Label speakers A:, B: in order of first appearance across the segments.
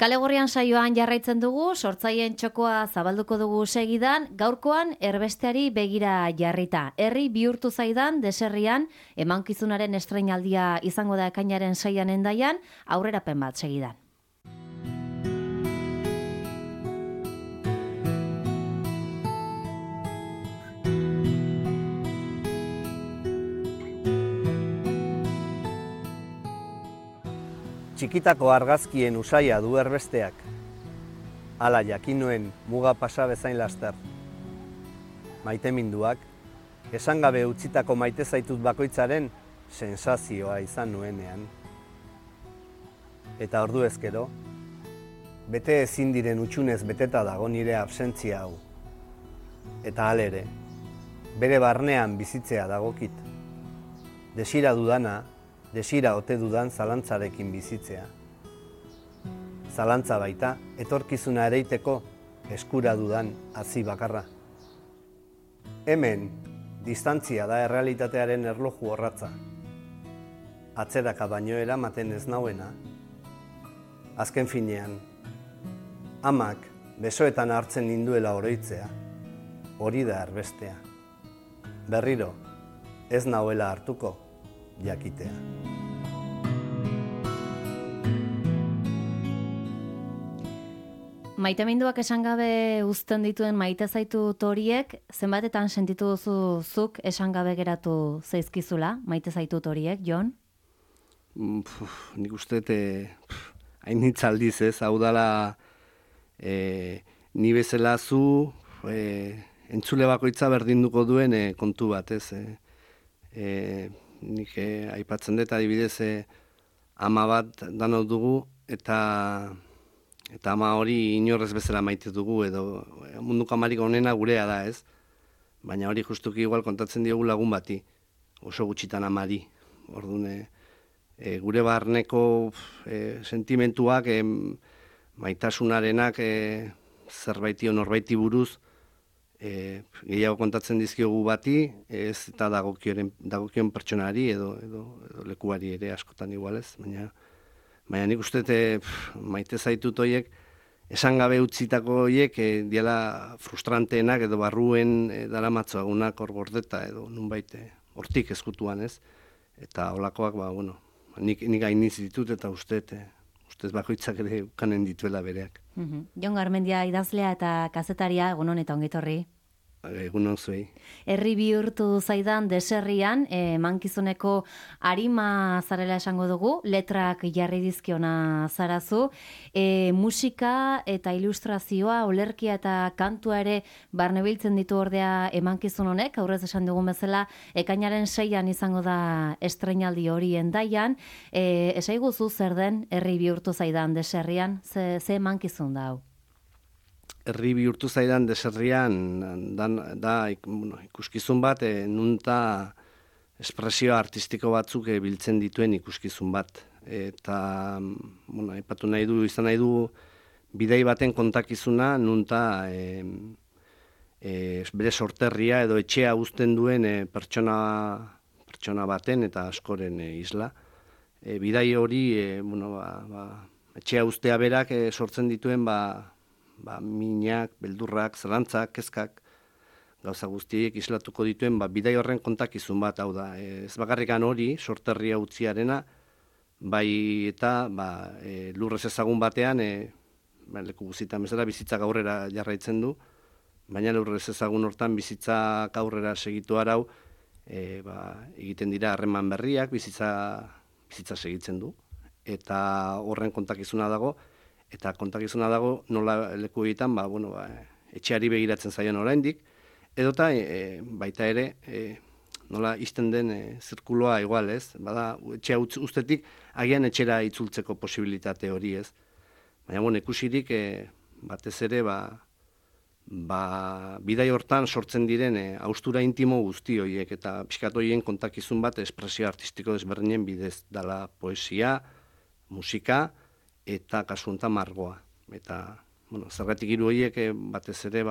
A: Kale Gorrian saioan jarraitzen dugu, sortzaileen txokoa zabalduko dugu segidan, gaurkoan erbesteari begira jarrita. Herri bihurtu zaidan, deserrian, emankizunaren estreinaldia izango da ekainaren 6an Hendaian, aurrerapen bat segidan.
B: Txikitako argazkien usaia du erbesteak. Hala jakin nuen muga pasa bezain laster. Maiteminduak, esan gabe utzitako maite zaitut bakoitzaren sensazioa izan nuenean. Eta ordu ezkero, bete ezin diren utxunez beteta dago nire absentzia hau. Eta halere, bere barnean bizitzea dagokit. Desira dudana, desira ote dudan zalantzarekin bizitzea. Zalantza baita, etorkizuna ereiteko eskura dudan hazi bakarra. Hemen, distantzia da errealitatearen erloju orratza. Atzeraka baino eramaten ez nauena. Azken finean, amak besoetan hartzen ninduela oroitzea, hori da erbestea. Berriro, ez nauela hartuko, jakitea.
A: Maiteminduak esan gabe uzten dituen maite zaitut horiek, zenbatetan sentitu duzu zuk esan gabe geratu zaizkizula, maite zaitut horiek, Jon?
B: Nik uste hain hitzaldiz ez, hau dala ni bezala zu entzule bakoitza berdinduko duen kontu bat, ez. Nik aipatzen dut adibidez ama bat danok dugu eta ama hori inorrez bezala maite dugu edo munduko amarik onena gurea da, ez? Baina hori justuki igual kontatzen diogu lagun bati, oso gutxitan amari. Orduan, gure barneko sentimentuak, maitasunarenak zerbaiti norbaiti buruz, gehiago kontatzen dizkiogu bati, ez eta dagokion pertsonari edo lekuari ere askotan igualez, baina nik uste maite zaitut horiek, esan gabe utzitako horiek diala frustranteenak edo barruen daramatzoagunak hor gordeta edo nunbait hortik ezkutuan ez, eta holakoak, nik gainiz ditut eta ustez bakoitzak ere ukanen dituela bereak.
A: Jon Garmendia idazlea eta kazetaria, egunon eta ongitorri.
B: Egunon zuei.
A: Herri bihurtu zaidan deserrian, mankizuneko arima zarela esango dugu, letrak jarri dizkiona zarazu, musika eta ilustrazioa, olerkia eta kantua ere barnebiltzen ditu ordea emankizun honek, aurrez esan dugun bezala, ekainaren 6an izango da estreinaldi hori Hendaian, esaiguzu zer den herri bihurtu zaidan deserrian, ze emankizun da hau?
B: Herri bihurtu zaidan deserrian da ikuskizun bat, nunta espresio artistiko batzuk biltzen dituen ikuskizun bat. Eta, aipatu izan nahi du bidai baten kontakizuna, nunta bere sorterria edo etxea uzten duen pertsona baten eta askoren isla. Bidai hori, etxea uztea berak sortzen dituen, minak, beldurrak, zalantzak, kezkak, gauza guztiek islatuko dituen, bidai horren kontakizun bat, hau da. Ez bakarrikan hori, sorterria utziarena, bai eta lurrez ezagun batean, leku guztietan bezala bizitzak aurrera jarraitzen du, baina lurrez ezagun hortan bizitzak aurrera segitu arau, egiten dira harreman berriak, bizitza segitzen du, eta horren kontakizuna dago, eta kontakizuna dago nola leku egiten, etxeari begiratzen zaion oraindik, edota baita ere nola izten den zirkuloa igual, ez? Bada, etxea ustetik agian etxera itzultzeko posibilitate hori, ez? Baina, ikusirik batez ere, bidai hortan sortzen diren haustura intimo guzti horiek, eta pixkat horien kontakizun bat espresio artistiko desberdinen bidez dala poesia, musika, eta kasu honetan margoa. Eta, zergatik hiru horiek batez ere,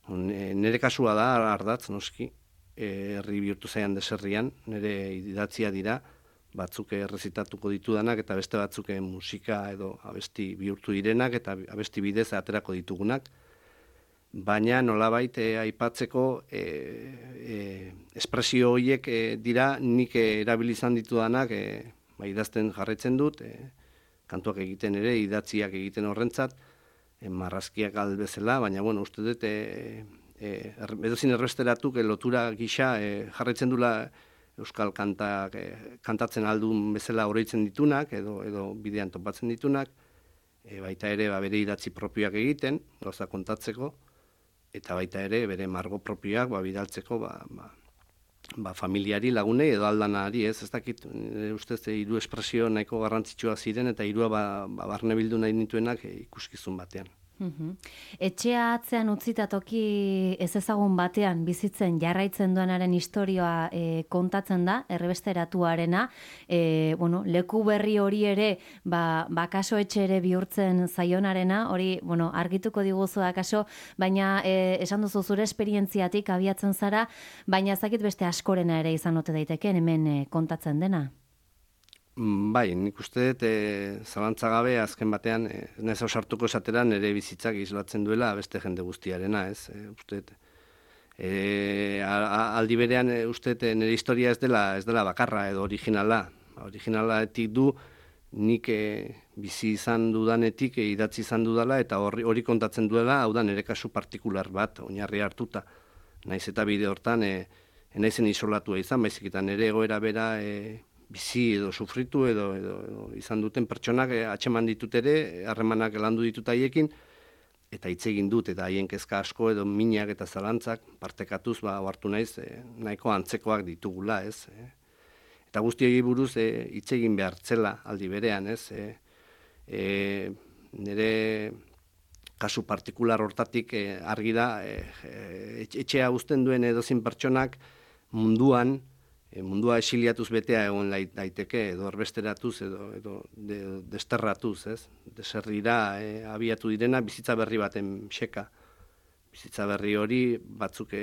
B: nire kasua da, ardatz, noski, herri bihurtu zaian deserrian, nire idatzia dira, batzuk errezitatuko ditudanak eta beste batzuk musika edo abesti bihurtu direnak eta abesti bidez aterako ditugunak. Baina nolabait aipatzeko espresio horiek dira nik erabili izan ditudanak idazten jarraitzen dut, kantuak egiten ere, idatziak egiten horrentzat, marrazkiak bezala, baina uste dut edozin erbesteratuk lotura gisa jarraitzen dula euskal kantatzen aldun bezala oroitzen ditunak, edo bidean topatzen ditunak, baita ere bere idatzi propioak egiten, gauza kontatzeko, eta baita ere bere margo propioak bidaltzeko familiari, lagunei edo aldanari, ez dakit, ustez hiru espresio nahiko garrantzitsua ziren, eta hirua barne bildu nahi nituenak ikuskizun batean.
A: Etxea atzean utzita toki ez ezagun batean bizitzen jarraitzen duenaren historioa kontatzen da, errebesteratuarena, leku berri hori ere, kaso etxe ere bihurtzen zaionarena, hori, argituko diguzu akaso, baina esan duzu zure esperientziatik abiatzen zara, baina ezakit beste askorena ere izan ote daiteke hemen kontatzen dena.
B: Bai, nik uste dut zalantza gabe azken batean naiz ausartuko esatera nire bizitzak islatzen duela beste jende guztiarena, ez? Uste dut aldi berean uste dut nire historia ez dela bakarra edo originala. Originalatik du nik bizi izan dudanetik idatzi izan dudala eta hori kontatzen duela, hau da nire kasu partikular bat oinarri hartuta. Naiz eta bide hortan naizen isolatua izan, baizik eta nire egoera bera bizi edo sufritu edo izan duten pertsonak atxeman ditut ere, harremanak landu ditut haiekin, eta hitz egin dut, eta haien kezka asko edo minak eta zalantzak partekatuz hartu naiz nahiko antzekoak ditugula, ez? Eta guzti hori buruz hitz egin behar zela aldi berean, ez? Nire kasu partikular hortatik argi da, etxea uzten duen edozin pertsonak mundua exiliatuz betea egon daiteke, edo erbesteratuz, edo desterratuz, ez? Deserrira abiatu direna bizitza berri baten xeka. Bizitza berri hori batzuk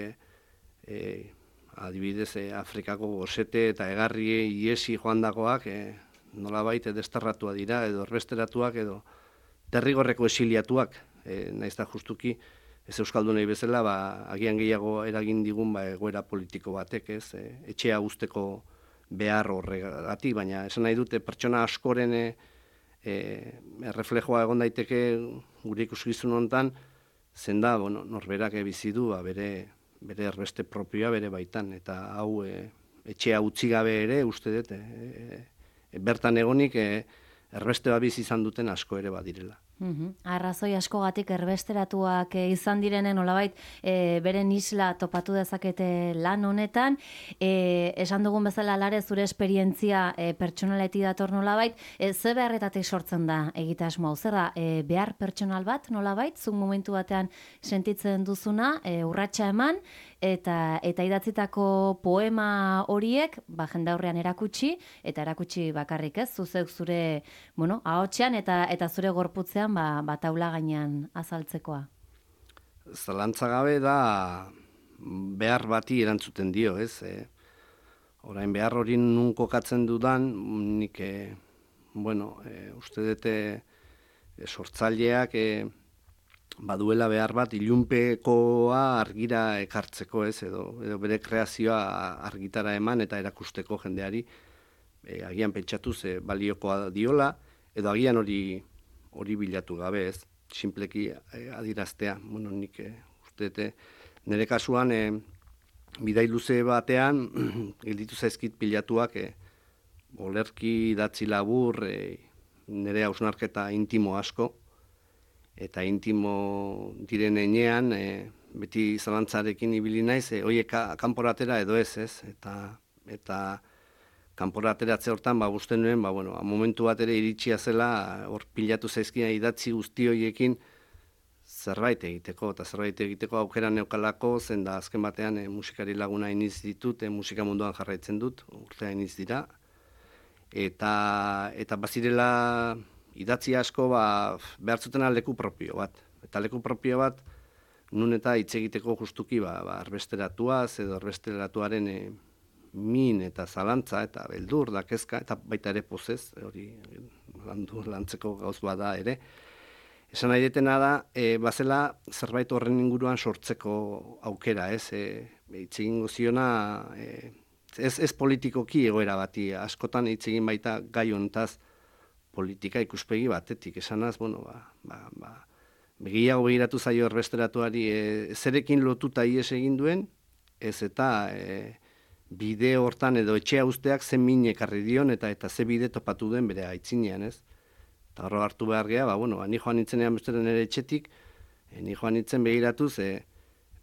B: adibidez Afrikako gosete eta egarri iesi joandakoak nolabait desterratua dira, edo erbesteratuak, edo derrigorreko exiliatuak, naiz da justuki, ez euskaldunei bezala, agian gehiago eragin digun egoera politiko batek, ez, etxea usteko behar horregatik, baina esan nahi dute pertsona askoren erreflejoa egon daiteke gure ikuskizun honetan, zen da, norberak bizi du, bere erbeste propioa bere baitan, eta hau etxea utzi gabe ere, uste dut, bertan egonik erbeste bizi izan duten asko ere badirela.
A: Arrazoi askogatik erbesteratuak izan direnen nolabait beren isla topatu dezakete lan honetan, esan dugun bezala Lare zure esperientzia pertsonaleti dator nolabait, ze beharretatik sortzen da egitasmo hau, zer da, behar pertsonal bat nolabait, zuk momentu batean sentitzen duzuna, urratsa eman, eta idatzitako poema horiek, jende aurrean erakutsi, eta erakutsi bakarrik ez, zuzek zure, ahotsean eta zure gorputzean taula gainean azaltzekoa.
B: Zalantza gabe da behar bati erantzuten dio, ez? Orain behar hori nun kokatzen dudan, nik, uste dute sortzaileak baduela behar bat ilunpekoa argira ekartzeko, ez? Edo bere kreazioa argitara eman eta erakusteko jendeari, agian pentsatuz baliokoa diola, edo agian hori bilatu gabe, ez, sinpleki adiraztea. Nik uste dute, nire kasuan bidai luze batean gelditu zaizkit pilatuak olerki idatzi labur nire hausnarketa intimo asko, eta intimo diren enean beti zalantzarekin ibili naiz, horiek kanporatera edo ez, eta kanporateratze hortan, uste nuen, momentu bat ere iritsia zela, hor pilatu zaizkina idatzi guzti horiekin zerbait egiteko, eta zerbait egiteko aukera neukalako, zen da azken batean musikari laguna iniz ditut, musika munduan jarraitzen dut, urtea iniz dira, eta bazirela idatzi asko behar zutena leku propio bat, eta leku propio bat nun eta hitz egiteko justuki erbesteratuaz edo erbesteratuaren min eta zalantza eta beldur da kezka, eta baita ere pozez, hori lantzeko gauz bada ere. Esan nahi detena da, bazela zerbait horren inguruan sortzeko aukera, ez? Hitz egingo ziona, ez politikoki egoera bati, askotan hitz egin baita gai hontaz politika ikuspegi batetik, esanaz, begiago begiratu zaio erbesteratuari zerekin lotuta ies egin duen, ez eta bide hortan edo etxea usteak zen min ekarri dion eta ze bide topatu duen bere aitzinean, ez? Eta horro hartu behar geha, ni joan nintzenean besteren ere etxetik, ni joan nintzen begiratuz,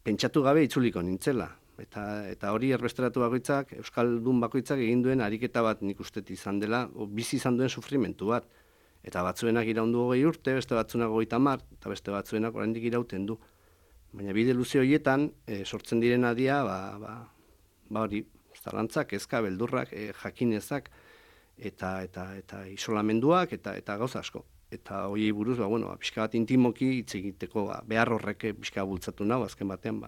B: pentsatu gabe itzuliko nintzela. Eta hori erbesteratu bakoitzak, Euskaldun bakoitzak egin duen ariketa bat nik ustet izan dela, bizi izan duen sufrimentu bat. Eta batzuenak iraundu 20 urte, beste batzuenak 30, eta beste batzuenak oraindik irauten du. Baina bide luze horietan, sortzen diren adia, hori, zalantzak, kezka, beldurrak, jakinezak, eta isolamenduak, eta gauza asko. Eta horiei buruz, pixka bat intimoki hitz egiteko, behar horrek pixka bultzatu nahu, azken batean,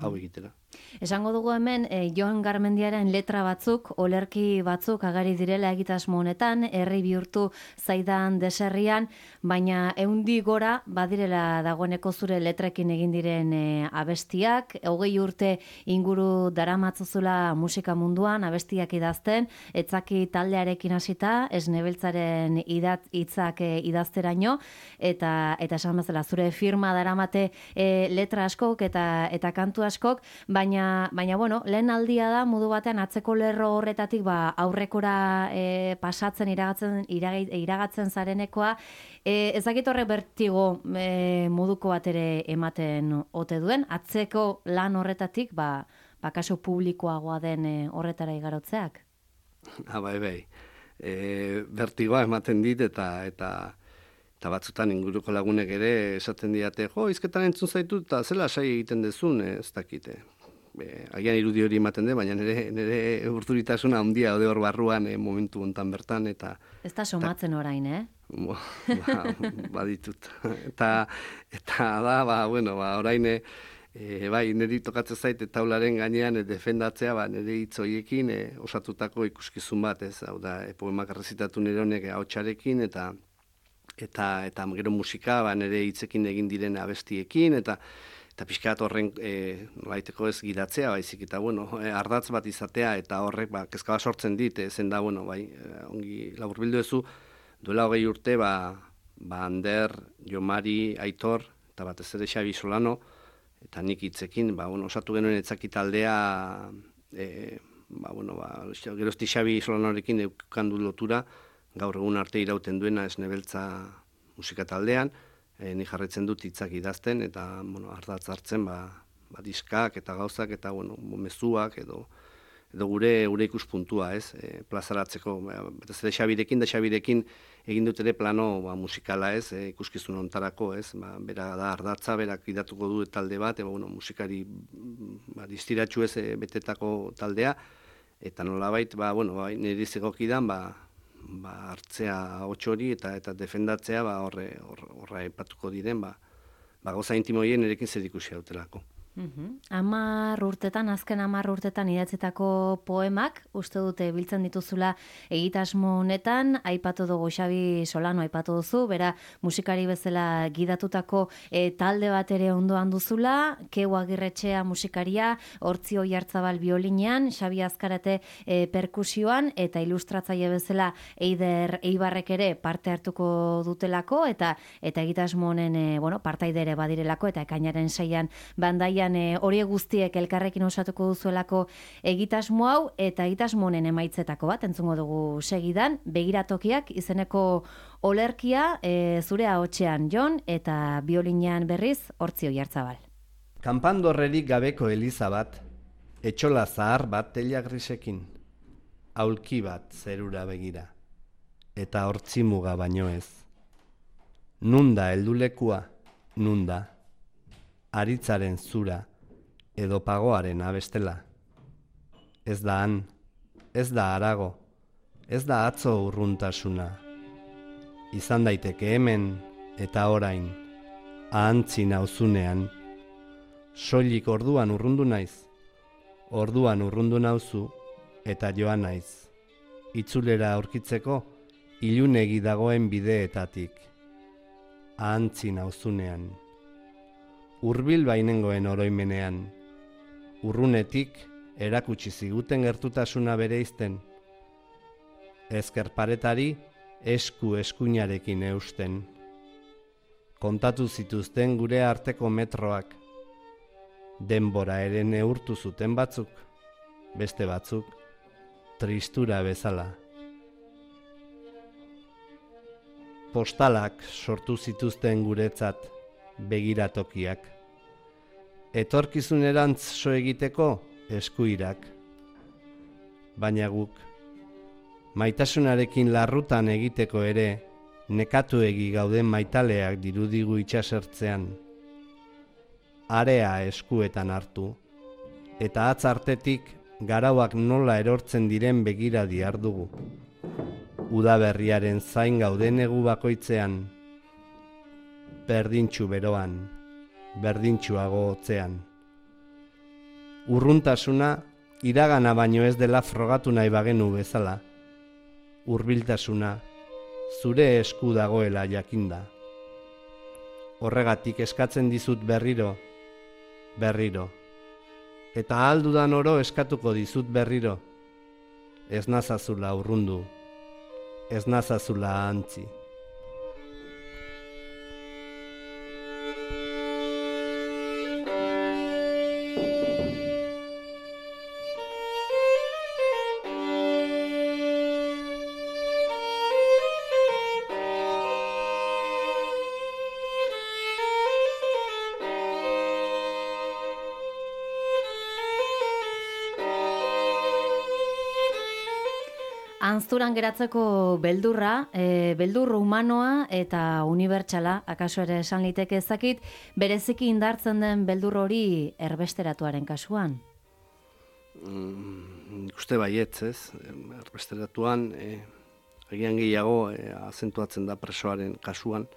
B: hau egitera.
A: Esango dugu hemen, Joan Garmendiaren letra batzuk, olerki batzuk agari direla egitasmo honetan, herri bihurtu zaidan deserrian, baina eundi gora badirela dagoeneko zure letrekin egin diren abestiak, 20 urte inguru daramatzuzula musika munduan, abestiak idazten, etzaki taldearekin hasita, esnebeltzaren hitzak idazteraino, eta esan bezala zure firma daramate letra askok eta kantu askok, baina lehen aldia da modu batean atzeko lerro horretatik aurrekora pasatzen iragatzen zarenekoa, ezakit horrek bertigo moduko bat ere ematen ote duen, atzeko lan horretatik kaso publikoagoa den horretara igarotzeak?
B: Bai. Bertigoa ematen dit eta batzutan inguruko lagunek ere esaten diate, hizketan entzun zaitu eta zela sai egiten dezun, ez dakite. Agian irudi hori ematen de, baina nire urduritasuna handia ode hor barruan momentu hontan bertan.
A: Ez da somatzen orain,
B: Baditut. Eta da, orain, niri tokatzen zait taularen gainean defendatzea, nire hitz horiekin osatutako ikuskizun bat, ez, hau da, poemak errezitatu nire honek ahotsarekin, eta gero musika, nire hitzekin egin diren abestiekin, eta pixkat horren nolaiteko ez gidatzea, baizik, eta ardatz bat izatea, eta horrek kezka bat sortzen dit, zen da, ongi laburbildu ezu, duela 20 urte, Ander, Jomari, Aitor, eta batez ere Xabi Solano, eta nik hitzekin, osatu genuen etzaki taldea, gerozti Xabi Solanorekin eukandu lotura, gaur egun arte irauten duena esnebeltza musika taldean, ni jarretzen dut hitzak idazten, eta ardatz hartzen diskak eta gauzak, eta mezuak, edo gure ikuspuntua, ez, plazaratzeko, ez ere Xabirekin egin dut ere plano musikala, ez, ikuskizun hontarako, ez, bera da ardatza, berak idatuko du talde bat, musikari distiratxu ez betetako taldea, eta nolabait, niri zegokidan, hartzea hotxori eta defendatzea horra epatuko diren, gauza intimoien erekin zer ikusi hautelako.
A: 10 urtetan, azken 10 urtetan idatzitako poemak, uste dute biltzen dituzula egitasmo honetan, aipatu dugu Xabi Solano aipatu duzu, bera musikari bezala gidatutako talde bat ere ondoan duzula, Keu Agirretxea musikaria, Hortzi Oiartzabal biolinean, Xabi Azkarate perkusioan, eta ilustratzaile bezala Eider Eibarrek ere parte hartuko dutelako, eta egitasmo honen partaide ere badirelako, eta ekainaren 6an bandaian hori guztiek elkarrekin osatuko duzuelako egitasmo hau, eta egitasmo honen emaitzetako bat entzungo dugu segidan, Begiratokiak izeneko olerkia zure ahotsean Jon, eta biolinean berriz Hortzi Oiartzabal.
B: Kanpandorrerik gabeko eliza bat, etxola zahar bat teila grisekin, aulki bat zerura begira, eta hortzi muga baino ez. Nunda heldulekua, nunda, aritzaren zura, edo pagoaren abestela. Ez da han, ez da harago, ez da atzo urruntasuna. Izan daiteke hemen eta orain, ahantzi nauzunean, soilik orduan urrundu naiz, Orduan urrundu nauzu eta joan naiz. Itzulera aurkitzeko ilunegi dagoen bideetatik. Ahantzi nauzunean. Hurbil bainengoen oroimenean. Urrunetik erakutsi ziguten gertutasuna bereizten. Ezker paretari eskuinarekin eusten. Kontatu zituzten gure arteko metroak. Denbora ere neurtu zuten batzuk, beste batzuk, tristura bezala. Postalak sortu zituzten guretzat, begiratokiak. Etorkizunerantz so egiteko eskuirak. Baina guk, maitasunarekin larrutan egiteko ere, nekatuegi gauden maitaleak dirudigu itxasertzean. Area eskuetan hartu, eta atz artetik garauak nola erortzen diren begira diardugu. Udaberriaren zain gauden egu bakoitzean, berdintxu beroan, berdintxuago hotzean. Urruntasuna iragana baino ez dela frogatu nahi bagenu bezala. Hurbiltasuna zure esku dagoela jakinda. Horregatik eskatzen dizut berriro, eta aldudan oro eskatuko dizut berriro, ez nazazula urrundu, ez nazazula ahantzi.
A: Anzturan geratzeko beldurra, beldur humanoa eta unibertsala, akaso ere esan liteke ezakit, bereziki indartzen den beldur hori erbesteratuaren kasuan?
B: Uste baietz, ez? Erbesteratuan, agian gehiago azentuatzen da presoaren kasuan,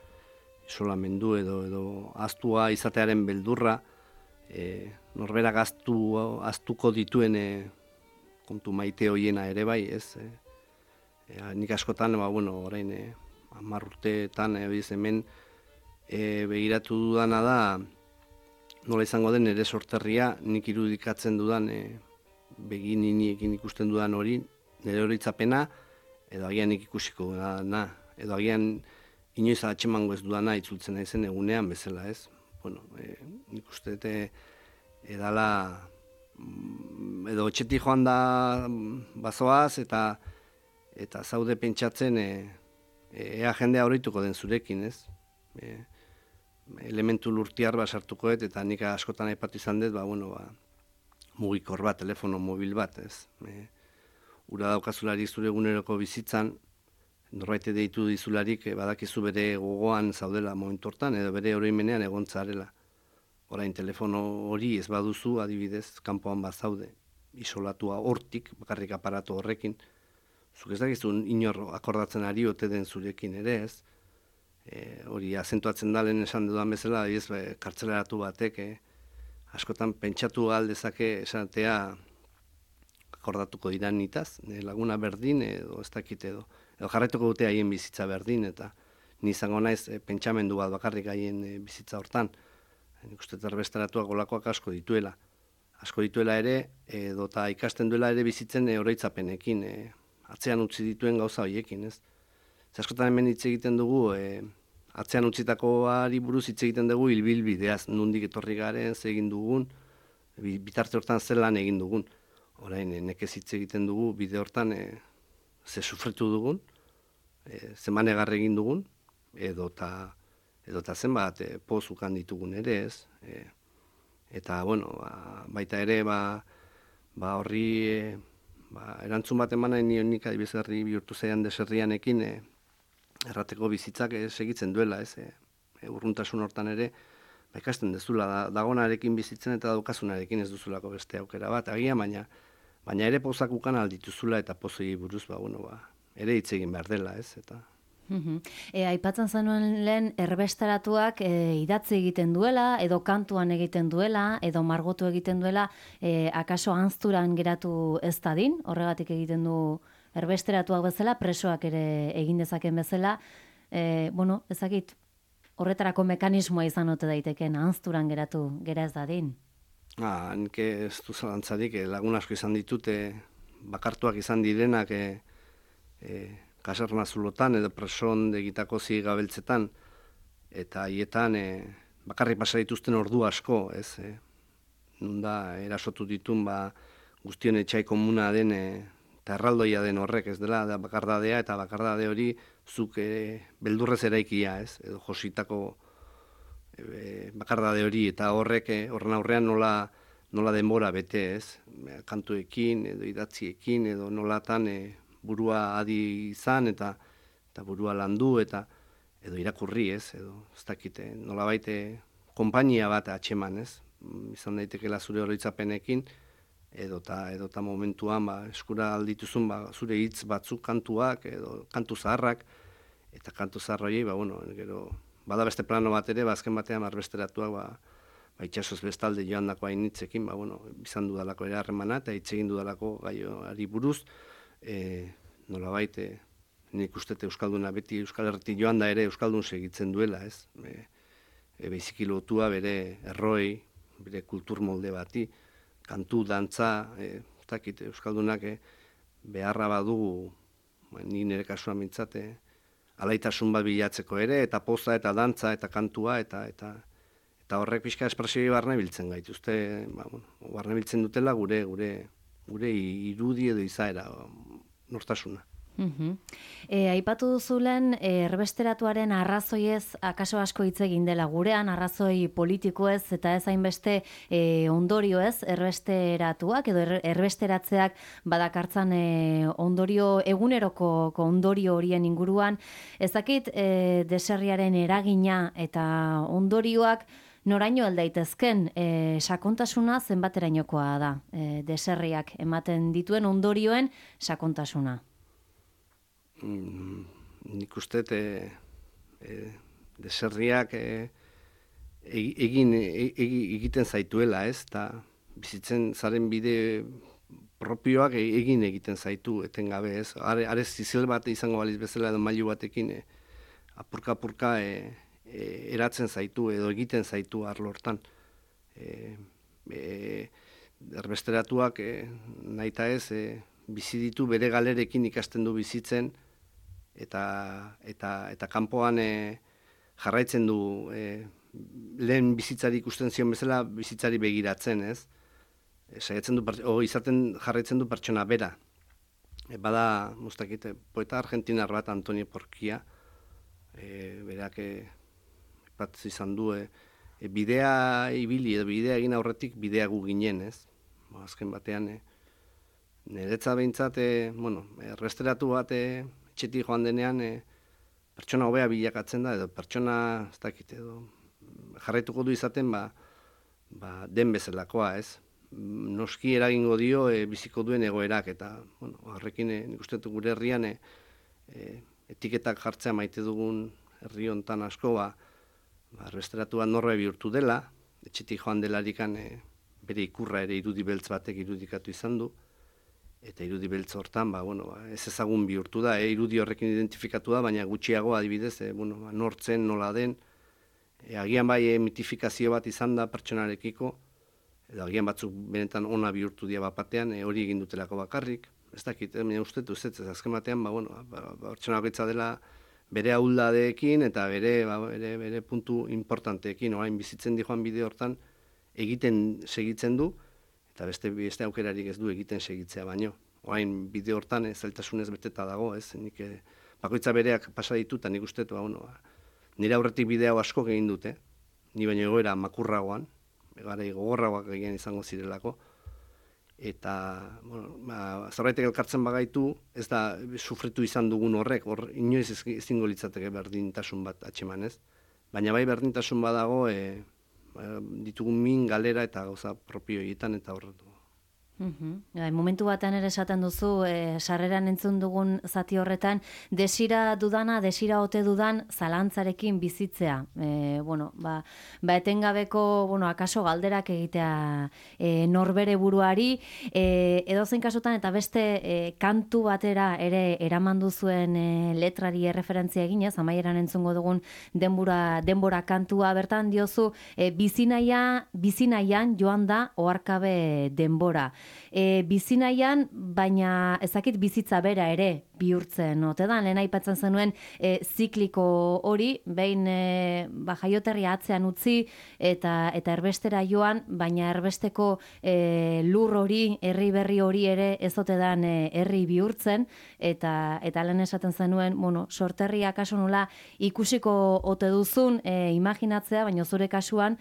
B: isolamendu edo ahaztua izatearen beldurra, norberak ahaztuko dituen kontu maite hoiena ere bai, ez? Nik askotan, orain 10 urteetan hemen begiratu dudana da nola izango den ere sorterria, nik irudikatzen dudan begininiekin ikusten dudan hori, nire horitzapena, edo agian nik ikusiko dana, edo agian inoiz atxemango ez dudana itzultzen naizen egunean bezala, ez? Nik uste edala edo etxetik joan da bazoaz eta zaude pentsatzen ea jendea horituko den zurekin, ez? Elementu lurtiar sartuko eta nik askotan aipatu izan dut, mugikor bat, telefono mobil bat, ez? Ura daukazularik zure eguneroko bizitzan, norbait deitu dizularik badakizu bere gogoan zaudela momentu hortan, edo bere oroimenean egontzarela. Orain telefono hori ez baduzu, adibidez, kanpoan bazaude, isolatua hortik, bakarrik aparatu horrekin, zuk ez dakizun inor akordatzen ari ote den zurekin ere, ez? Hori azentuatzen da lehen esan dudan bezala, kartzelaratu batek, askotan pentsatu aldezake esatea akordatuko dira nitaz, laguna berdin edo ez dakit edo jarraituko dute haien bizitza berdin, eta ni izango naiz pentsamendu bat bakarrik haien bizitza hortan. Nik uste erbesteratuak olakoak asko dituela ere, edota ikasten duela ere bizitzen oroitzapenekin, atzean utzi dituen gauza horiekin, ez? Askotan hemen hitz egiten dugu, atzean utzitakoari buruz hitz egiten dugu ibilbideaz, nondik etorri garen, ze egin dugun, bitarte hortan zer lan egin dugun. Orain, nekez hitz egiten dugu bide hortan ze sufritu dugun, ze manegar egin dugun, edota zenbat pozukan ditugun ere, ez? Eta, baita ere, horri erantzun bat eman nahi nion nik adibizgarri bihurtu zaidan deserrianekin errateko bizitzak segitzen duela, ez? Urruntasun hortan ere, ikasten dezula, dagonarekin bizitzen eta daukasunarekin ez duzulako beste aukera bat, agian, baina ere pozak ukan aldituzula eta pozoi buruz, ere hitz egin behar dela, ez? Eta
A: Aipatzen zenuen lehen erbesteratuak idatzi egiten duela, edo kantuan egiten duela, edo margotu egiten duela, akaso anzturan geratu ez dadin, horregatik egiten du erbesteratuak bezala, presoak ere egin dezaken bezala, ezakit, horretarako mekanismoa izan ote daiteken, anzturan gera ez dadin.
B: Nik ez du zalantzarik, lagun asko izan ditute, bakartuak izan direnak, kaserna zulotan edo preson egitako zigabeltzetan, eta haietan bakarrik pasa dituzten ordu asko, ez? Nunda erasotu ditun guztion etxai komuna den eta erraldoia den horrek, ez dela, da bakardadea, eta bakardade hori zuk beldurrez eraikia, ez? Edo jositako bakardade hori, eta horren aurrean nola denbora bete, ez? Kantuekin, edo idatziekin, edo nolatan burua adi izan eta burua landu eta edo irakurri, ez, edo ez dakite, nolabait konpainia bat atxeman, ez, izan daitekela zure oroitzapenekin edota momentuan eskura aldituzun zure hitz batzuk kantuak edo kantu zaharrak eta kantu zahar horiei, gero bada beste plano bat ere, azken batean erbesteratuak itxasoz bestalde joandako hainitzekin, izan dudalako ere harremana eta hitz egin dudalako gaioari buruz, nolabait nik ustete euskalduna beti Euskal Herritik joan da ere euskaldun segitzen duela, ez? Biziki lotua bere erroi, bere kultur molde bati, kantu, dantza, euskaldunak beharra badugu, ni nire kasuan mintzate, alaitasun bat bilatzeko ere, eta poza, eta dantza, eta kantua, eta horrek pixka espresioi barne biltzen gaituzte, barne biltzen dutela gure irudi edo izaera, nortasuna.
A: Aipatu duzulen erbesteratuaren arrazoiez akaso asko hitz egin dela gurean, arrazoi politikoez eta ez hainbeste ondorioez erbesteratuak edo erbesteratzeak badakartzan ondorio eguneroko ondorio horien inguruan. Ezakit deserriaren eragina eta ondorioak noraino aldaitezken, sakontasuna zenbaterainokoa da, deserriak ematen dituen ondorioen sakontasuna?
B: Nik uste deserriak egiten zaituela, ez? Ta bizitzen zaren bide propioak egiten zaitu etengabe, ez? Are zizil bat izango baliz bezala edo mailu batekin apurka eratzen zaitu edo egiten zaitu arlo hortan. Erbesteratuak nahita ez bizi ditu bere galerekin ikasten du bizitzen eta kanpoan jarraitzen du lehen bizitzari ikusten zion bezala bizitzari begiratzen, ez? Saiatzen du izaten jarraitzen du pertsona bera. Bada, mustakite, poeta argentinar bat Antonio Porquia, berak bat izan du bidea ibili edo bidea egin aurretik bidea gu ginen, ez? Azken batean niretza behintzat, erbesteratu bat etxetik joan denean pertsona hobea bilakatzen da, edo pertsona, ez dakit, edo jarraituko du izaten, den bezalakoa, ez? Noski eragingo dio biziko duen egoerak, eta, horrekin nik uste dut gure herrian etiketak jartzea maite dugun herri hontan asko, erbesteratu bat norbe bihurtu dela, etxetik joan delarikan bere ikurra ere irudi beltz batek irudikatu izan du, eta irudi beltz hortan, ez ezagun bihurtu da, irudi horrekin identifikatu da, baina gutxiago adibidez, nortzen, nola den, agian bai mitifikazio bat izan da pertsonarekiko, edo agian batzuk benetan ona bihurtu dira bapatean, hori egin dutelako bakarrik, ez dakit, uste duz, ez azken batean, pertsona bakoitza dela bere ahuldadeekin eta bere puntu importanteekin, orain bizitzen di joan bide hortan, egiten segitzen du, eta beste aukerarik ez du egiten segitzea baino. Orain bide hortan zailtasunez beteta dago, ez? Nik bakoitza bereak pasa ditu, eta nik uste, nire aurretik bidea asko egin dute, ni baino egoera makurragoan, garai gogorragoak egin izango zirelako, eta zerbaitek elkartzen bagaitu, ez da sufritu izan dugun horrek, inoiz ezingo litzateke berdintasun bat atxeman, ez? Baina bai berdintasun badago, ditugun min galera eta gauza propio egiten eta horretu.
A: Momentu batean ere esaten duzu, sarreran entzun dugun zati horretan, desira dudana, desira ote dudan zalantzarekin bizitzea. Etengabeko, akaso galderak egitea norbere buruari, edozein kasutan eta beste kantu batera ere eraman duzuen letrari erreferentzia eginez, amaieran entzungo dugun denbora kantua bertan diozu, bizinaian joan da oharkabe denbora. Bizinaian, baina ezakit bizitza bera ere bihurtzen ote da, lehen aipatzen zenuen zikliko hori, behin jaioterria atzean utzi eta erbestera joan, baina erbesteko lur hori, herri berri hori ere ez ote dan herri bihurtzen, eta lehen esaten zenuen, sorterria kaso nola ikusiko ote duzun imaginatzea, baina zure kasuan,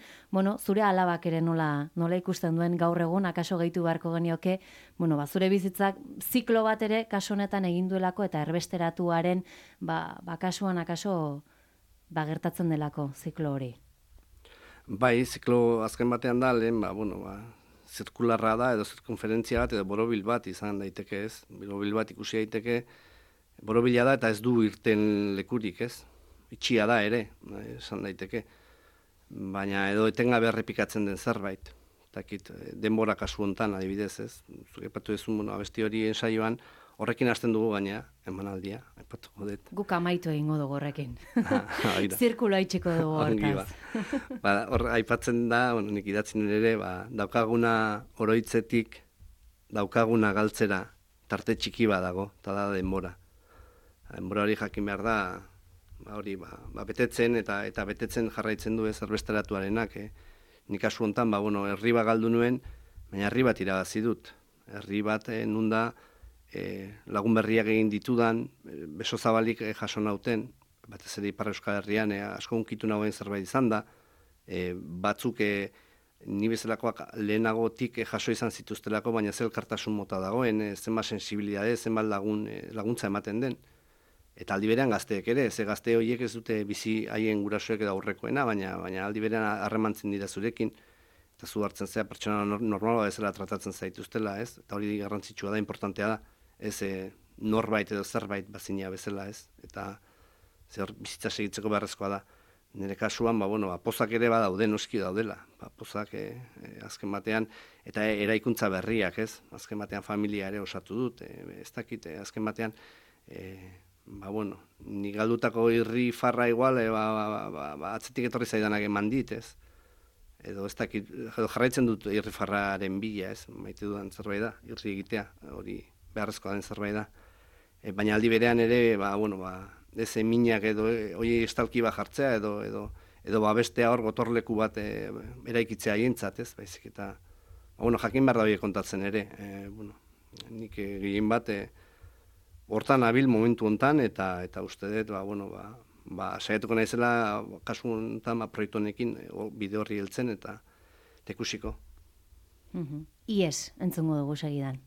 A: zure alabak ere nola ikusten duen gaur egun, akaso gehitu beharko genioke, zure bizitzak ziklo bat ere kaso honetan egin duelako eta erbesteratuaren kasuan akaso gertatzen delako ziklo hori.
B: Bai, ziklo azken batean da, lehen, zirkularra da, edo zirkunferentzia bat, edo borobil bat izan daiteke ez. Borobil bat ikusi daiteke, borobila da eta ez du irten lekurik ez. Itxia da ere, esan daiteke. Baina edo etengabe errepikatzen den zerbait. Takit, denbora kasu hontan adibidez ez. Zuke epatu ezun, abesti hori ensaioan, horrekin hasten dugu gaina, emanaldia, aipatuko dut.
A: Guk amaitu egingo dugu horrekin. Zirkulo haitxeko dugu hortaz.
B: Hor aipatzen da, nik idatzen ere, daukaguna oroitzetik, daukaguna galtzera, tarte txiki bat dago, eta da denbora. Denbora hori jakin behar da, betetzen eta betetzen jarraitzen du ez erbesteratuarenak. Nik kasu honetan, herri bat galdu nuen, baina herri bat irabazi dut. Herri bat nunda, lagun berriak egin ditudan, beso zabalik jaso nauten, batez ere Ipar Euskal Herrian, asko unkitu nagoen zerbait izan da, batzuk ni bezalakoak lehenagotik jaso izan zituztelako, baina zelkartasun mota dagoen, zenbat sensibilidade, zenbat laguntza ematen den. Eta aldi berean gazteek ere, ze gazte horiek ez dute bizi haien gurasoek edo aurrekoena, baina aldi berean harremantzen dira zurekin, eta zu hartzen zea pertsona normala bezala tratatzen zaituztela, ez? Eta hori garrantzitsua da, importantea da, ez norbait edo zerbait bazinia bezala, ez? Eta bizitza segitzeko beharrezkoa da. Nire kasuan, pozak ere badaude, noski daudela. Pozak azken batean, eta eraikuntza berriak, ez? Azken batean familia ere osatu dut, ez dakit, azken batean, ni galdutako irri farra igual, atzetik etorri zaidanak eman dit, ez? Edo ez dakit, jarraitzen dut irri farraren bila, ez? Maite dudan zerbait da, irri egitea, hori beharrezkoa den zerbait da. Baina aldi berean ere, ez eminak edo hori estalki bat jartzea, edo bestea hor gotorleku bat eraikitzea hientzat, ez? Baizik eta, jakin behar da hori kontatzen ere, nik gehien bat, hortan abil momentu hontan, eta uste dut, saiatuko naizela, kasu hontan, proiektu honekin, bide horri heltzen, eta ikusiko.
A: Ies, entzungo dugu segidan.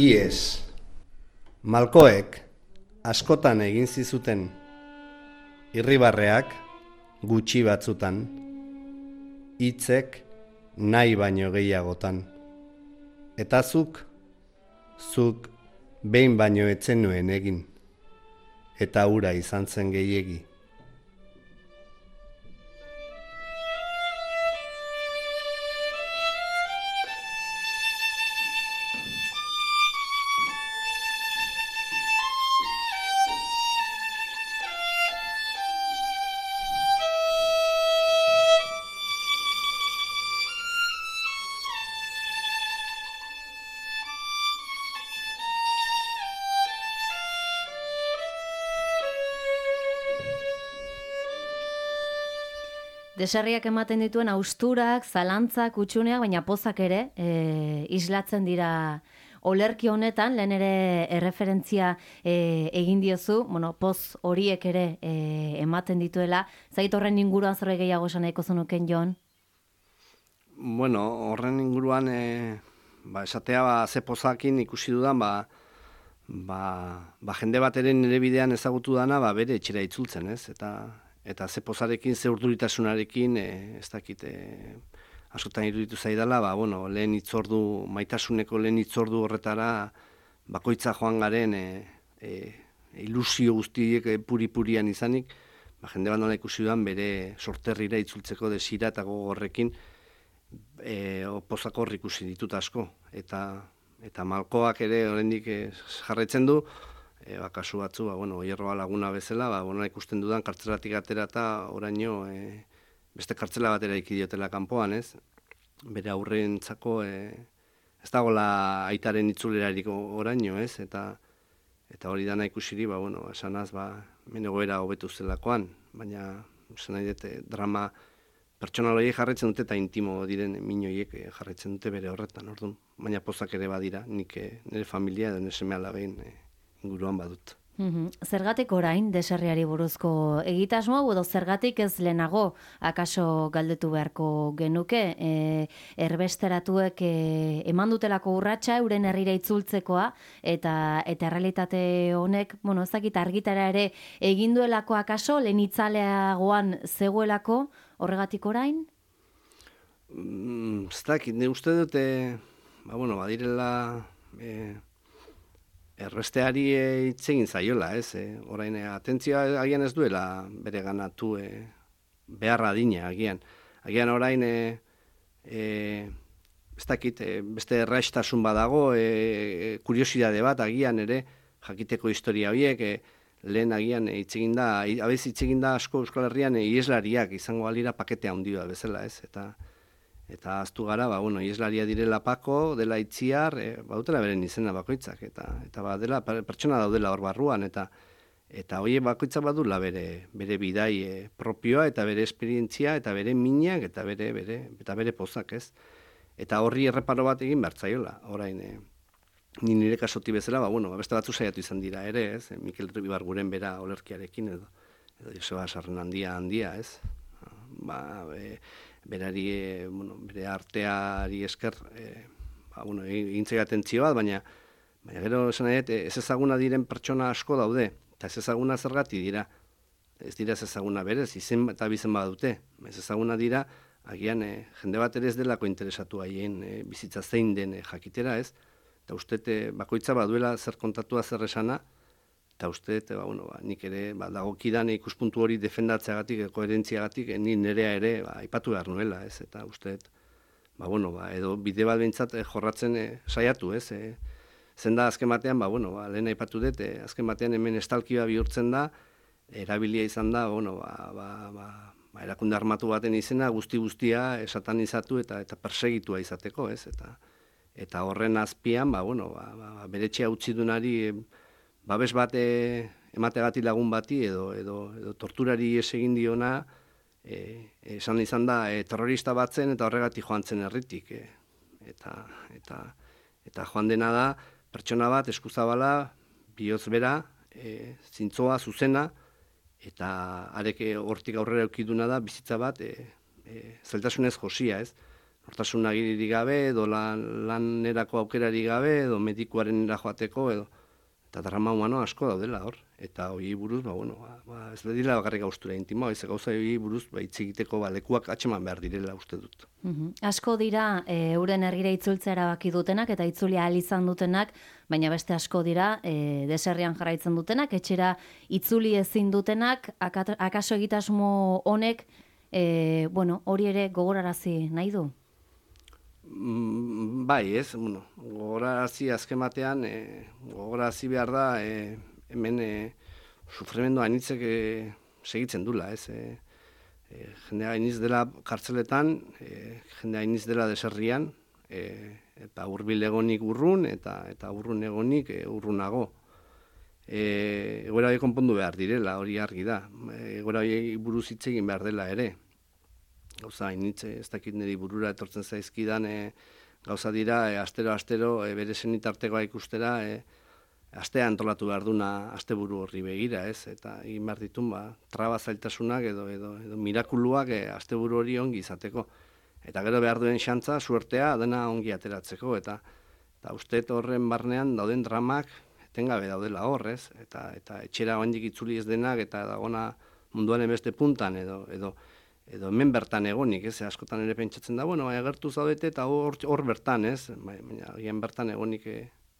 B: Ies, Malkoek askotan egin zizuten irribarreak gutxi batzutan, hitzek nahi baino gehiagotan. Eta zuk behin baino etzen nuen egin, eta hura izan zen gehiegi.
A: Deserriak ematen dituen austurak, zalantzak, utxuneak, baina pozak ere, islatzen dira olerki honetan, lehen ere erreferentzia egin diozu, bueno, poz horiek ere ematen dituela. Zait horren inguruan zerbait gehiago esan nahiko zenuken, Jon?
B: Bueno, horren inguruan, esatea, ze pozakin ikusi dudan, jende bat ere nire bidean ezagutu dana, bere etxera itzultzen, ez? Eta ze pozarekin, ze urduritasunarekin, ez dakit, askotan iruditu zaidala, lehen itzordu, maitasuneko lehen itzordu horretara, bakoitza joan garen, ilusio guztiek puri-purian izanik, jende bat nola ikusi dudan, bere sorterrira itzultzeko desira eta gogorrekin, pozako ikusi ditut asko, eta malkoak ere oraindik jarraitzen du, kasu batzu, Oierroa laguna bezala, ikusten dudan kartzelatik atera eta oraino beste kartzela batera ikidiotela kanpoan, ez? Bere aurrentzako ez dagoela aitaren itzulerarik oraino, ez? Eta hori dana ikusiri, esanaz, hemen egoera hobetu zelakoan, baina esan nahi dut drama pertsonal horiek jarraitzen dute eta intimo diren min horiek jarraitzen dute bere horretan, orduan. Baina pozak ere badira, nik nire familia edo nire seme-alaben inguruan badut.
A: Zergatik orain deserriari buruzko egitasmo edo zergatik ez lehenago akaso galdetu beharko genuke, erbesteratuek eman dutelako urratsa euren herrira itzultzekoa eta errealitate honek, ez dakit argitara ere egin duelako akaso lehen itzaleagoan zegoelako horregatik orain?
B: Ez dakit, ne uste dute badirela erbesteari hitz egin zaiola, ez? Orain atentzioa agian ez duela bere ganatu beharra adina agian. Agian orain ez dakit, beste erraistasun badago, kuriosidade bat agian ere jakiteko historia horiek, lehen agian hitz egin da, abez hitz egin da asko Euskal Herrian ieslariak izango balira pakete handia bezala, ez? Eta aztu gara, ieslaria direla Pako, dela Itziar, badutela beren izena bakoitzak, eta dela pertsona daudela hor barruan, eta hori bakoitzak badula bere bidai propioa, eta bere esperientzia, eta bere minak, eta bere pozak, ez? Eta horri erreparo bat egin bertzaiola, orain, nire kasoti bezala, beste batzu saiatu izan dira ere, ez? Mikel Ibarguren bera olerkiarekin, edo Joseba Sarren handia, ez? Berari, bere arteari esker, egintzea atentzio bat, baina gero esan nahi, ez ezaguna diren pertsona asko daude, eta ez ezaguna zergati dira. Ez dira ez ezaguna berez, izen eta bizen badute. Ez ezaguna dira, agian jende bat ere ez delako interesatu haien bizitza zein den jakitera, ez? Eta uste bakoitza baduela zer kontatua zer esana, eta uste, nik ere dagokidan ikuspuntu hori defendatzeagatik, koherentziagatik, ni nerea ere aipatu behar nuela, ez? Eta uste, edo bide bat behintzat jorratzen saiatu, ez? Zen da azken batean, lehen aipatu dut, azken batean hemen estalkia bihurtzen da, erabilia izan da, erakunde armatu baten izena guztia esatanizatu eta persegitua izateko, ez? Eta horren azpian, bere etxea utzi dunari babes bat emategatik lagun bati edo torturari egin diona, esan izan da terrorista batzen eta horregatik joan zen herritik. Eta joan dena da, pertsona bat eskuzabala, bihotz bera, zintzoa, zuzena, eta arek hortik aurrera eukiduna da, bizitza bat, zeltasunez josia, ez? Nortasun agiririk gabe, edo lanerako aukerari gabe, edo medikuaren joateko, eta drama humano asko daudela hor. Eta hori buruz, ez dira bakarrik gauztura intimoa, ez gauza hori buruz, hitz egiteko lekuak atxeman behar direla uste dut.
A: Asko dira, euren herrira itzultzea erabaki dutenak, eta itzuli ahal izan dutenak, baina beste asko dira, deserrian jarraitzen dutenak, etxera itzuli ezin dutenak, akaso egitasmo honek, hori ere gogorarazi nahi du?
B: Bai, ez, gogorarazi azken batean, gogorarazi behar da, hemen sufrimendu hainitzek segitzen dula, ez. Jende hainiz dela kartzeletan, jende hainiz dela deserrian, eta hurbil egonik urrun, eta urrun egonik urrunago. Egoera hori konpondu behar direla, hori argi da. Egoera hori buruz hitz egin behar dela ere. gauza hainitz, ez dakit niri burura etortzen zaizkidan gauza dira, astero bere senitartekoa ikustera, astea antolatu behar duna asteburu horri begira, ez? Eta egin behar ditun, traba zailtasunak edo mirakuluak asteburu hori ongi izateko. Eta gero behar duen xantza, suertea, dena ongi ateratzeko, eta uste horren barnean dauden dramak etengabe daudela horrez, eta etxera oandik itzuli ez denak, eta dagona munduaren beste puntan, edo hemen bertan egonik, ez? Askotan ere pentsatzen da, bueno, agertu zaudete, eta hor bertan, ez? Baina agian bertan egonik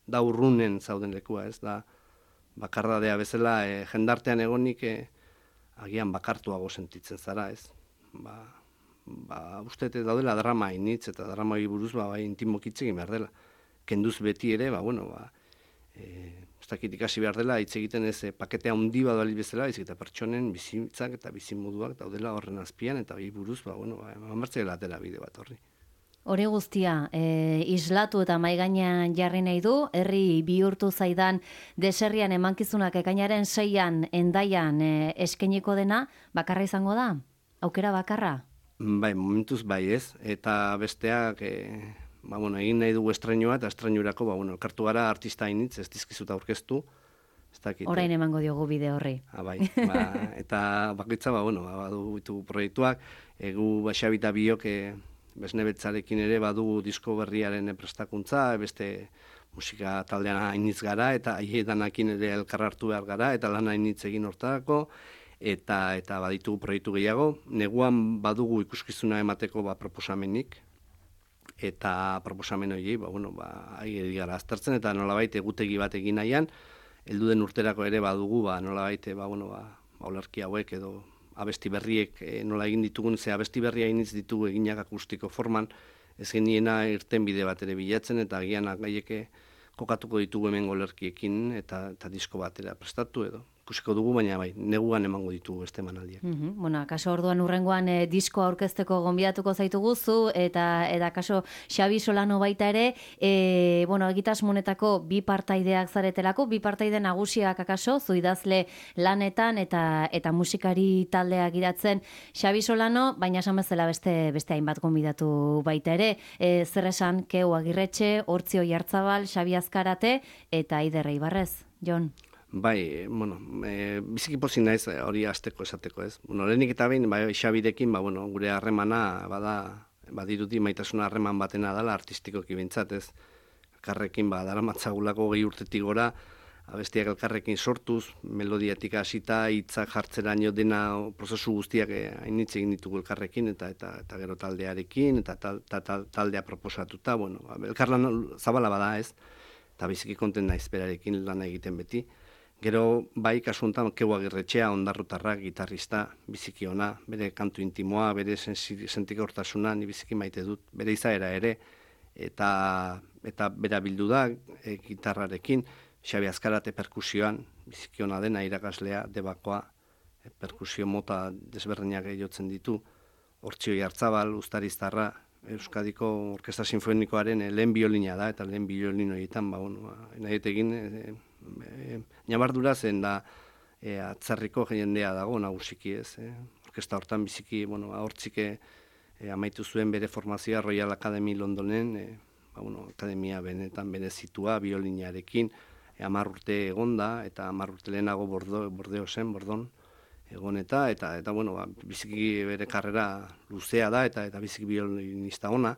B: da urrunen zauden lekua, ez? Da bakardadea bezala jendartean egonik agian bakartuago sentitzen zara, ez? Uste daudela drama hainitz, eta drama hori buruz intimoki hitz egin behar dela. Kenduz beti ere, ez dakit ikasi behar dela, hitz egiten ez paketea handi badali bezala, eta pertsonen bizitzak eta bizimoduak daudela horren azpian, eta hori buruz, eman atera bide bat horri.
A: Hori guztia, islatu eta maigainean jarri nahi du, herri bihurtu zaidan deserrian emankizunak ekainaren 6an Hendaian eskainiko dena, bakarra izango da? Aukera bakarra?
B: Bai, momentuz bai ez, eta besteak egin nahi dugu estrenua, eta estrenurako elkartu gara artista hainitz, ez dizkizut aurkeztu.
A: Orain emango diogu bide horri.
B: Bai, eta bakoitza, badu proiektuak, gu Xabita biok Besne Betzarekin ere badugu disko berriaren prestakuntza, beste musika taldean hainitz gara, eta aiedanakin ere elkar hartu behar gara, eta lan hainitz egin hortarako, eta baditugu proiektu gehiago. Neguan badugu ikuskizuna emateko proposamenik, eta proposamen hori, ari gara aztertzen, eta nolabait egutegi bat egin nahian, heldu den urterako ere badugu, nolabait, olerki hauek edo abesti berriek nola egin ditugun, ze abesti berria initz ditugu eginak akustiko forman, ez geniena irten bide bat ere bilatzen, eta agian gaieke kokatuko ditugu hemen olerkiekin, eta disko batera prestatu edo. Ikusiko dugu, baina neguan emango ditugu beste emanaldiak.
A: Kaso orduan urrengoan disko aurkezteko gonbidatuko zaitugu zu, eta kaso Xabi Solano baita ere, egitasmonetako bi partaideak zaretelako, bi partaide nagusiak akaso, zu idazle lanetan eta musikari taldeak idatzen Xabi Solano, baina esan bezala beste hainbat gonbidatu baita ere, zer esan Keu Agirretxe, Hortzi Oiartzabal, Xabi Azkarate eta Aider Eibarrez, Jon?
B: Bai, biziki pozik naiz hori azteko esateko, ez? Lehenik eta behin, Xabirekin, gure harremana, badirudi maitasuna harreman batena dela artistikoki bintzat, ez? Elkarrekin, daramatzagulako 20 urtetik gora, abestiak elkarrekin sortuz, melodiatik hasita, hitzak jartzeraino dena prozesu guztiak hainitz egin ditugu elkarrekin, eta gero taldearekin, eta taldea proposatuta, elkarlan zabala bada, ez? Eta biziki konten naiz berarekin lan egiten beti. Gero, kasu honetan, Keu Agirretxea, ondarrutarrak, gitarrista, biziki ona, bere kantu intimoa, bere sentikortasuna, ni biziki maite dut, bere izaera ere, eta bera bildu da, gitarrarekin, Xabi Azkarate perkusioan, biziki ona dena, irakaslea, debakoa, perkusio mota desberdinak jotzen ditu, Hortzi Oiartzabal, Uztariztarra, Euskadiko Orkestra Sinfonikoaren lehen biolina da, eta lehen biolin horietan, nahi nabardura zen da atzarriko jendea dago nagusiki ez. Orkestra hortan biziki, Hortzike amaitu zuen bere formazioa Royal Academy Londonen, akademia benetan benezitua biolinarekin, 10 urte egonda, eta 10 urte lehenago Bordon egon eta biziki bere karrera luzea da, eta biziki biolinista ona.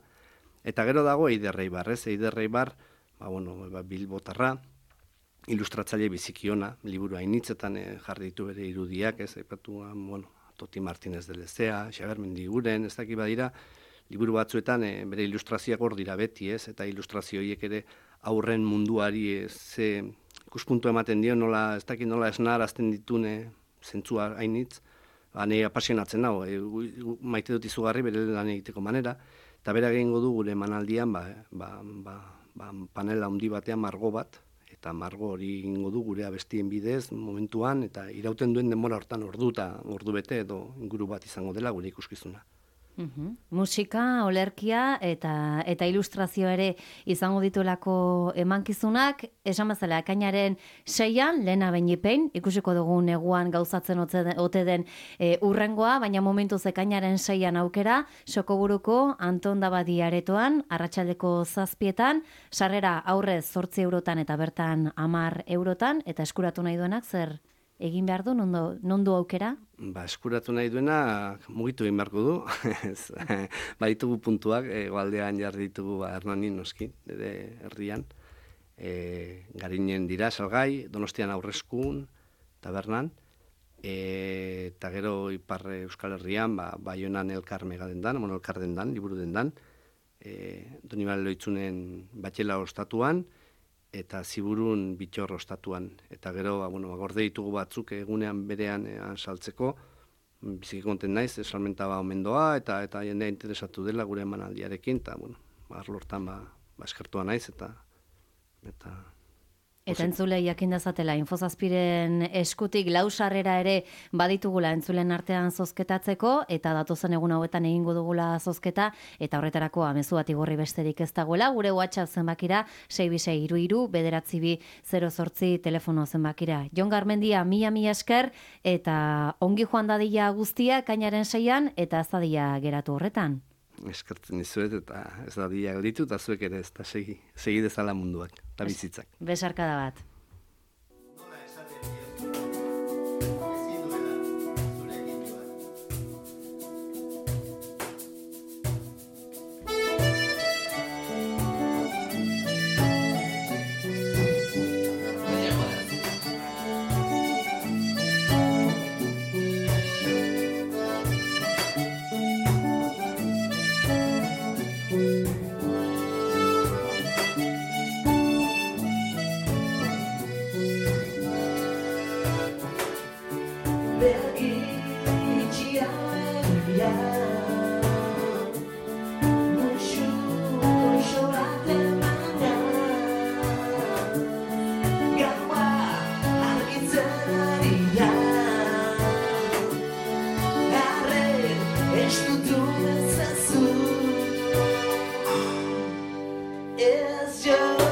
B: Eta gero dago Eider Eibar, ez? Eider Eibar, Bilbotarra, ilustratzaile biziki ona, liburu hainitzetan jarri ditu bere irudiak, ez? Aipatu, Toti Martínez de Lezea, Xaber Mendiguren, ez dakit badira, liburu batzuetan bere ilustrazioak hor dira beti, ez? Eta ilustrazio horiek ere aurren munduari ze ikuspuntu ematen dio, ez dakit nola esnarazten ditune zentzua hainitz, nahi apasionatzen nago, maite dut izugarri bere lan egiteko manera, eta bera egingo du gure emanaldian, panela handi batean margo bat, eta margo hori egingo du gure abestien bidez momentuan, eta irauten duen denbora hortan ordu bete edo inguru bat izango dela gure ikuskizuna.
A: Musika, olerkia eta ilustrazio ere izango dituelako emankizunak, esan bezala ekainaren 6an, lehena beinipein, ikusiko dugu neguan gauzatzen ote den urrengoa, baina momentuz ekainaren 6an aukera, Sokoburuko Anton Dabadi aretoan, arratsaldeko 7etan, sarrera aurrez 8 eurotan eta bertan 10 eurotan, eta eskuratu nahi duenak zer egin behar du, non du aukera?
B: Eskuratu nahi duena mugitu egin beharko du. Baditugu puntuak, goaldean jarri ditugu Hernanin noski, nire herrian. Garinen dira salgai, Donostian Aurreskun, tabernan. Eta gero ipar Euskal Herrian, Baionan elkar megadendan, elkar dendan, liburu dendan. Donibane Loitzunen batxela ostatuan, eta Ziburun Bitxor ostatuan. Eta gero, gorde ditugu batzuk egunean berean saltzeko, biziki konten naiz, salmenta omen doa, eta jendea interesatu dela gure emanaldiarekin, eta, arlortan eskertua naiz, eta
A: entzule jakin dezatela, Infozazpiren eskutik 4 sarrera ere baditugula entzulen artean zozketatzeko, eta datozen egun hauetan egingo dugula zozketa, eta horretarako mezu bat igorri besterik ez dagoela, gure WhatsApp zenbakira 62622-908 telefono zenbakira. Jon Garmendia, mila esker, eta ongi joan dadila guztia, ekainaren 6an, eta ez dadila geratu horretan.
B: Eskertzen dizuet, eta ez da dia gelditu, eta zuek ere ez da segi dezala munduak, eta bizitzak.
A: Besarkada bat.
C: It's just